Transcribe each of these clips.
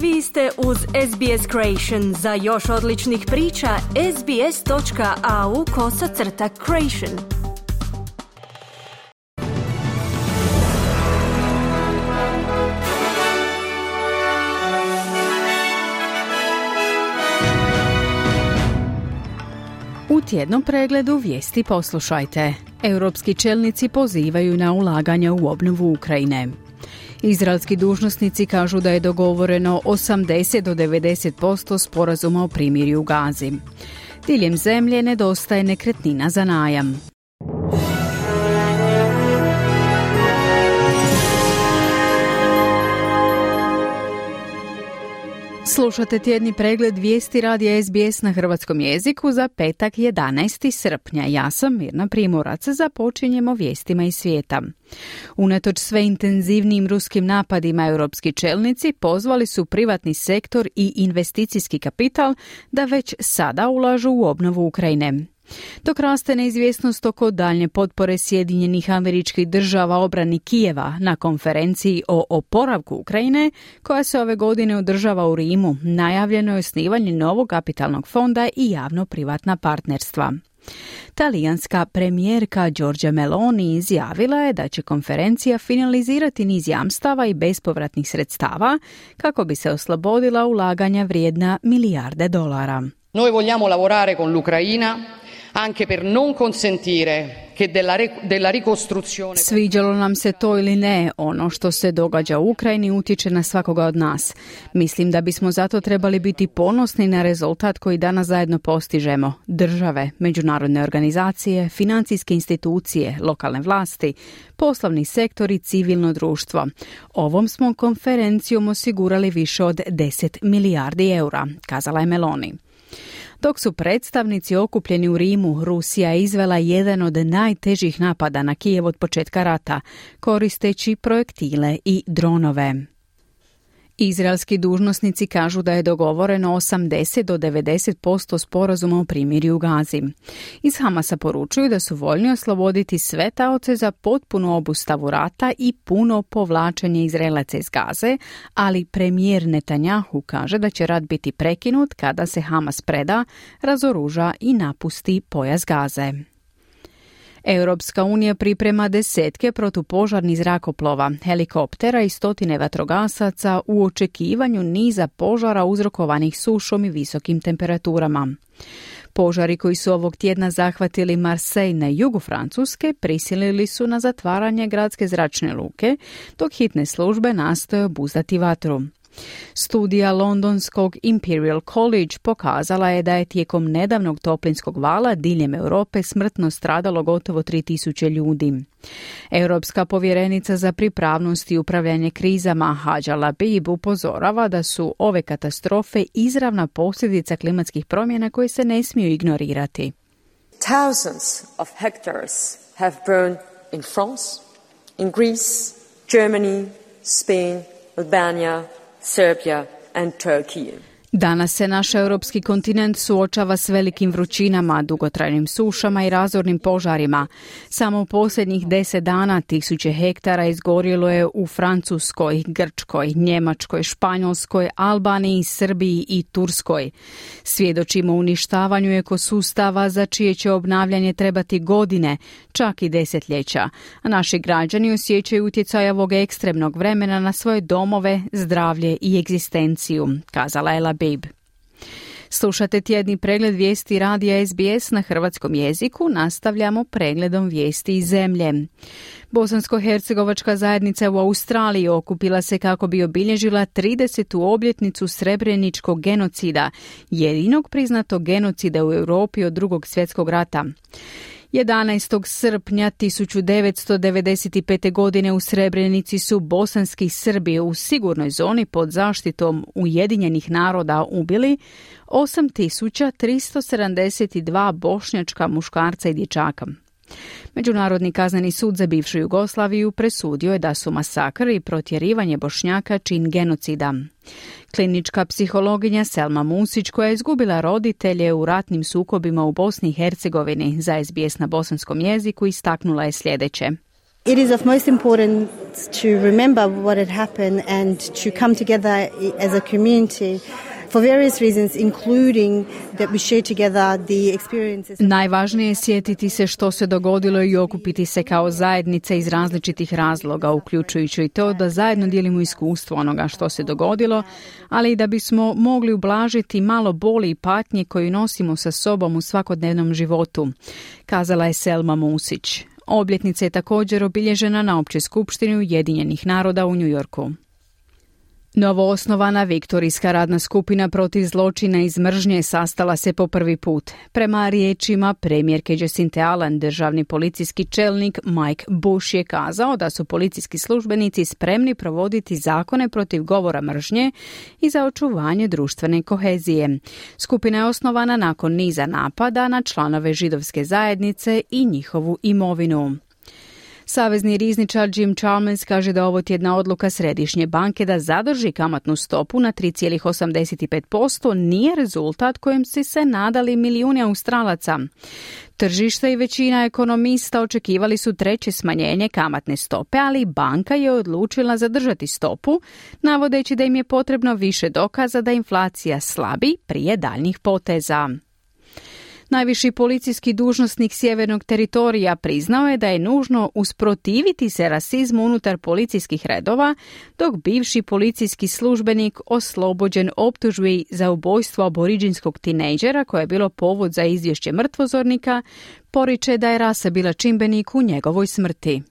Vi ste uz SBS Creation. Za još odličnih priča, sbs.au/creation. U tjednom pregledu vijesti poslušajte. Europski čelnici pozivaju na ulaganja u obnovu Ukrajine. Izraelski dužnosnici kažu da je dogovoreno 80 do 90% sporazuma o primirju u Gazi. Diljem zemlje nedostaje nekretnina za najam. Slušate tjedni pregled vijesti radija SBS na hrvatskom jeziku za petak 11. srpnja. Ja sam Mirna Primorac. Započinjemo vijestima iz svijeta. Unatoč sve intenzivnijim ruskim napadima, europski čelnici pozvali su privatni sektor i investicijski kapital da već sada ulažu u obnovu Ukrajine. Dok raste neizvjesnost oko daljnje potpore Sjedinjenih Američkih Država obrani Kijeva na konferenciji o oporavku Ukrajine, koja se ove godine održava u Rimu, najavljeno je osnivanje novog kapitalnog fonda i javno-privatna partnerstva. Talijanska premijerka Giorgia Meloni izjavila je da će konferencija finalizirati niz jamstava i bespovratnih sredstava kako bi se oslobodila ulaganja vrijedna milijarde dolara. Noi vogliamo lavorare con l'Ucraina anche per non consentire che della ricostruzione. Sviđalo nam se to ili ne, ono što se događa u Ukrajini utječe na svakoga od nas. Mislim da bismo zato trebali biti ponosni na rezultat koji danas zajedno postižemo. Države, međunarodne organizacije, financijske institucije, lokalne vlasti, poslovni sektor i civilno društvo. Ovom smo konferencijom osigurali više od 10 milijardi eura, kazala je Meloni. Dok su predstavnici okupljeni u Rimu, Rusija je izvela jedan od najtežih napada na Kijev od početka rata, koristeći projektile i dronove. Izraelski dužnosnici kažu da je dogovoreno 80 do 90% sporazuma o primirju u Gazi. Iz Hamasa poručuju da su voljni osloboditi sve taoce za potpunu obustavu rata i puno povlačenje Izraelaca iz Gaze, ali premijer Netanyahu kaže da će rat biti prekinut kada se Hamas preda, razoruža i napusti pojas Gaze. Europska unija priprema desetke protupožarnih zrakoplova, helikoptera i stotine vatrogasaca u očekivanju niza požara uzrokovanih sušom i visokim temperaturama. Požari koji su ovog tjedna zahvatili Marseille na jugu Francuske prisilili su na zatvaranje gradske zračne luke, dok hitne službe nastoje obuzdati vatru. Studija londonskog Imperial College pokazala je da je tijekom nedavnog toplinskog vala diljem Europe smrtno stradalo gotovo 3000 ljudi. Europska povjerenica za pripravnost i upravljanje krizama Hadja Labib upozorava da su ove katastrofe izravna posljedica klimatskih promjena koje se ne smiju ignorirati. Thousands of hectares have burned in France, in Greece, Germany, Spain, Albania, Serbia and Turkey. Danas se naš europski kontinent suočava s velikim vrućinama, dugotrajnim sušama i razornim požarima. Samo u posljednjih 10 dana 1000 hektara izgorjelo je u Francuskoj, Grčkoj, Njemačkoj, Španjolskoj, Albaniji, Srbiji i Turskoj. Svjedočimo uništavanju ekosustava za čije će obnavljanje trebati godine, čak i desetljeća. A naši građani osjećaju utjecaj ovog ekstremnog vremena na svoje domove, zdravlje i egzistenciju, kazala je Labib. Slušate tjedni pregled vijesti radija SBS na hrvatskom jeziku. Nastavljamo pregledom vijesti iz zemlje. Bosansko-hercegovačka zajednica u Australiji okupila se kako bi obilježila 30. obljetnicu Srebreničkog genocida, jedinog priznatog genocida u Europi od Drugog svjetskog rata. 11. srpnja 1995. godine u Srebrenici su bosanski Srbi u sigurnoj zoni pod zaštitom Ujedinjenih naroda ubili 8.372 bošnjačka muškarca i dječaka. Međunarodni kazneni sud za bivšu Jugoslaviju presudio je da su masakr i protjerivanje Bošnjaka čin genocida. Klinička psihologinja Selma Musić, koja je izgubila roditelje u ratnim sukobima u Bosni i Hercegovini, za SBS na bosanskom jeziku istaknula je sljedeće. It is of most importance to remember what had happened and to come together as a community for various reasons, including that we share together the experiences. Najvažnije je sjetiti se što se dogodilo i okupiti se kao zajednica iz različitih razloga, uključujući i to da zajedno dijelimo iskustvo onoga što se dogodilo, ali i da bismo mogli ublažiti malo boli i patnje koju nosimo sa sobom u svakodnevnom životu, kazala je Selma Musić. Obljetnica je također obilježena na Općoj skupštini Ujedinjenih naroda u New Yorku. Novoosnovana Viktorijska radna skupina protiv zločina iz mržnje sastala se po prvi put. Prema riječima premijerke Jacinthe Allen, državni policijski čelnik Mike Bush je kazao da su policijski službenici spremni provoditi zakone protiv govora mržnje i za očuvanje društvene kohezije. Skupina je osnovana nakon niza napada na članove židovske zajednice i njihovu imovinu. Savezni rizničar Jim Chalmers kaže da ovo tjedna odluka Središnje banke da zadrži kamatnu stopu na 3,85% nije rezultat kojem su se nadali milijuni Australaca. Tržište i većina ekonomista očekivali su treće smanjenje kamatne stope, ali banka je odlučila zadržati stopu, navodeći da im je potrebno više dokaza da inflacija slabi prije daljnjih poteza. Najviši policijski dužnosnik sjevernog teritorija priznao je da je nužno usprotiviti se rasizmu unutar policijskih redova, dok bivši policijski službenik oslobođen optužbi za ubojstvo aboriđinskog tinejdžera koje je bilo povod za izvješće mrtvozornika, poriče da je rasa bila čimbenik u njegovoj smrti.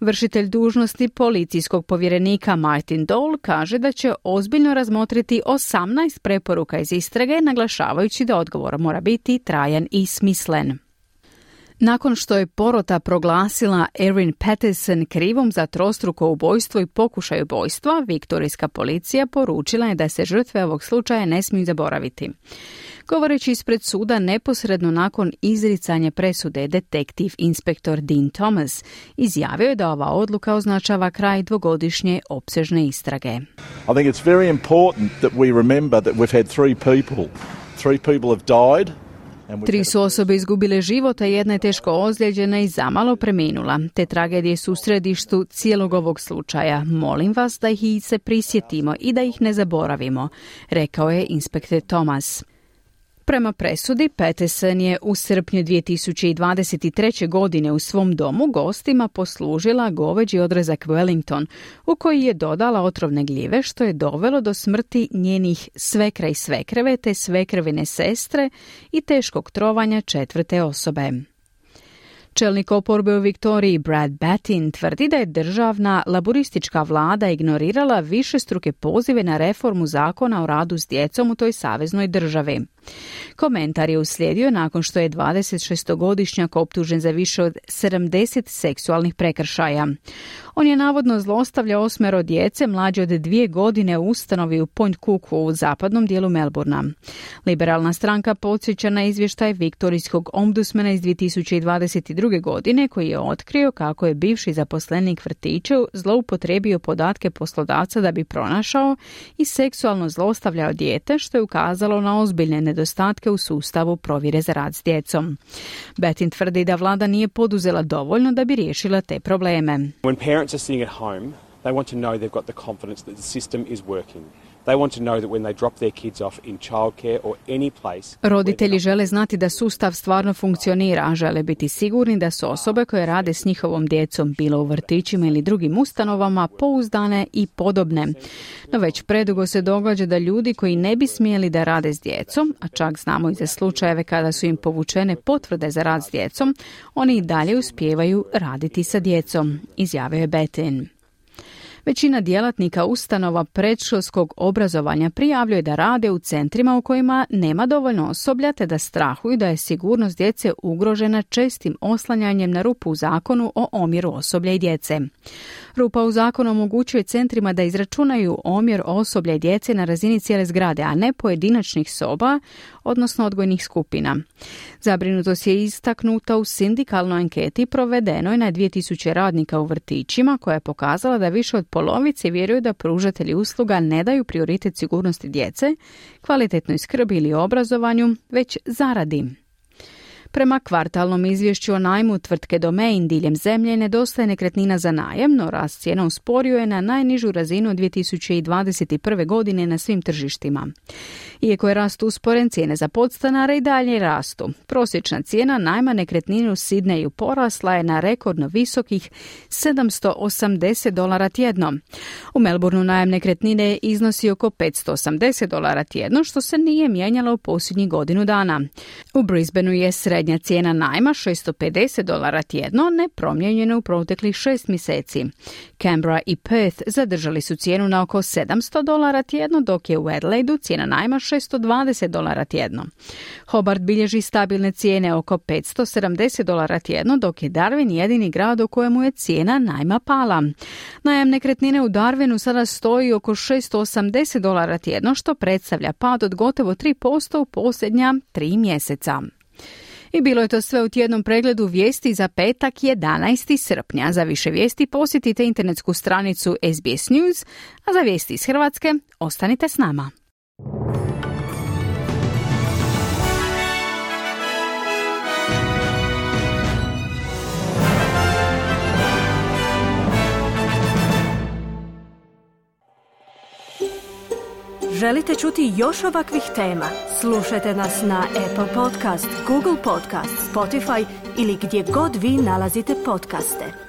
Vršitelj dužnosti policijskog povjerenika Martin Dole kaže da će ozbiljno razmotriti 18 preporuka iz istrage, naglašavajući da odgovor mora biti trajan i smislen. Nakon što je porota proglasila Erin Patterson krivom za trostruko ubojstvo i pokušaj ubojstva, viktorijska policija poručila je da se žrtve ovog slučaja ne smiju zaboraviti. Govoreći ispred suda neposredno nakon izricanja presude, detektiv inspektor Dean Thomas izjavio je da ova odluka označava kraj dvogodišnje opsežne istrage. I think it's very important that we remember that we've had three people have died. 3 su osobe izgubile život, a jedna je teško ozlijeđena i zamalo preminula. Te tragedije su u središtu cijelog ovog slučaja. Molim vas da ih se prisjetimo i da ih ne zaboravimo, rekao je inspektor Thomas. Prema presudi, Patterson je u srpnju 2023. godine u svom domu gostima poslužila goveđi odrezak Wellington, u koji je dodala otrovne gljive, što je dovelo do smrti njenih svekra i svekreve te svekrvine sestre i teškog trovanja 4. osobe. Čelnik oporbe u Viktoriji Brad Battin tvrdi da je državna laboristička vlada ignorirala višestruke pozive na reformu zakona o radu s djecom u toj saveznoj državi. Komentar je uslijedio nakon što je 26-godišnjak optužen za više od 70 seksualnih prekršaja. On je navodno zlostavljao 8 djece mlađe od 2 godine u ustanovi u Point Cooku u zapadnom dijelu Melbourna. Liberalna stranka podsjeća na izvještaj viktorijskog ombudsmana iz 2022. godine koji je otkrio kako je bivši zaposlenik vrtića zloupotrijebio podatke poslodavca da bi pronašao i seksualno zlostavljao dijete, što je ukazalo na ozbiljne nedostatke u sustavu provjere za rad s djecom. Battin tvrdi da vlada nije poduzela dovoljno da bi riješila te probleme. When parents are sitting at home, they want to know they've got the confidence that the system is working. They want to know that when they drop their kids off in childcare or any place. Roditelji žele znati da sustav stvarno funkcionira, a žele biti sigurni da su osobe koje rade s njihovom djecom, bilo u vrtićima ili drugim ustanovama, pouzdane i podobne. No već predugo se događa da ljudi koji ne bi smjeli da rade s djecom, a čak znamo i za slučajeve kada su im povučene potvrde za rad s djecom, oni i dalje uspijevaju raditi sa djecom, izjavio je Battin. Većina djelatnika ustanova predškolskog obrazovanja prijavljuje da rade u centrima u kojima nema dovoljno osoblja te da strahuju da je sigurnost djece ugrožena čestim oslanjanjem na rupu u zakonu o omjeru osoblja i djece. Rupa u zakonu omogućuje centrima da izračunaju omjer osoblja i djece na razini cijele zgrade, a ne pojedinačnih soba, odnosno odgojnih skupina. Zabrinutost je istaknuta u sindikalnoj anketi provedenoj na 2000 radnika u vrtićima, koja je pokazala da više od polovice vjeruju da pružatelji usluga ne daju prioritet sigurnosti djece, kvalitetnoj skrbi ili obrazovanju, već zaradi. Prema kvartalnom izvješću o najmu tvrtke Domain diljem zemlje nedostaje nekretnina za najam, no rast cijena usporio je na najnižu razinu od 2021. godine na svim tržištima. Iako je rast usporen, cijene za podstanare i dalje rastu. Prosječna cijena najma nekretnine u Sidneju porasla je na rekordno visokih $780 tjedno. U Melbourneu najam nekretnine iznosi oko $580 tjedno, što se nije mijenjalo u posljednjih godinu dana. U Brisbaneu je srednja cijena najma $650 tjedno, nepromijenjena u proteklih 6 mjeseci. Canberra i Perth zadržali su cijenu na oko $700 tjedno, dok je u Adelaidu cijena najma $620 tjedno. Hobart bilježi stabilne cijene oko $570 tjedno, dok je Darwin jedini grad u kojemu je cijena najma pala. Najam nekretnine u Darwinu sada stoji oko $680 tjedno, što predstavlja pad od gotovo 3% u posljednja 3 mjeseca. I bilo je to sve u tjednom pregledu vijesti za petak 11. srpnja. Za više vijesti posjetite internetsku stranicu SBS News, a za vijesti iz Hrvatske ostanite s nama. Želite čuti još ovakvih tema? Slušajte nas na Apple Podcast, Google Podcast, Spotify ili gdje god vi nalazite podcaste.